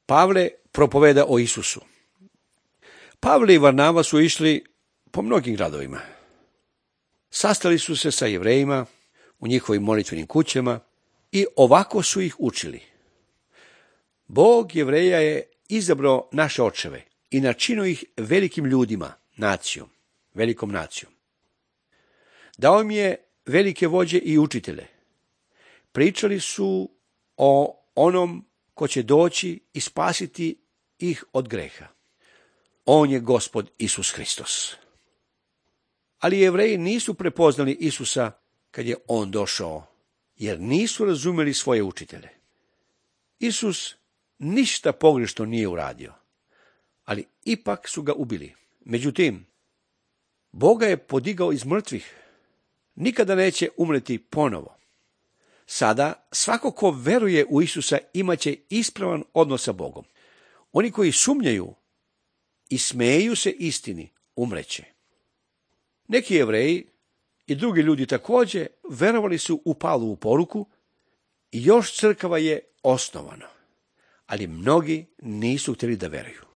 Pavle propoveda o Isusu. Pavle i Varnava su išli po mnogim gradovima. Sastali su se sa Jevrejima u njihovim molitvenim kućama i ovako su ih učili. Bog Jevreja je izabrao naše očeve i načinio ih velikim ljudima, nacijom, velikom nacijom. Dao im je velike vođe i učitelje. Pričali su o onom ko će doći i spasiti ih od greha. On je Gospod Isus Hristos. Ali Jevreji nisu prepoznali Isusa kad je on došao, jer nisu razumjeli svoje učitelje. Isus ništa pogrešno nije uradio, ali ipak su ga ubili. Međutim, Bog ga je podigao iz mrtvih. Nikada neće umreti ponovo. Sada svako ko veruje u Isusa imaće ispravan odnos sa Bogom. Oni koji sumnjaju i smeju se istini umreće. Neki Jevreji i drugi ljudi također verovali su u Pavlovu poruku i još crkava je osnovana, ali mnogi nisu htjeli da veruju.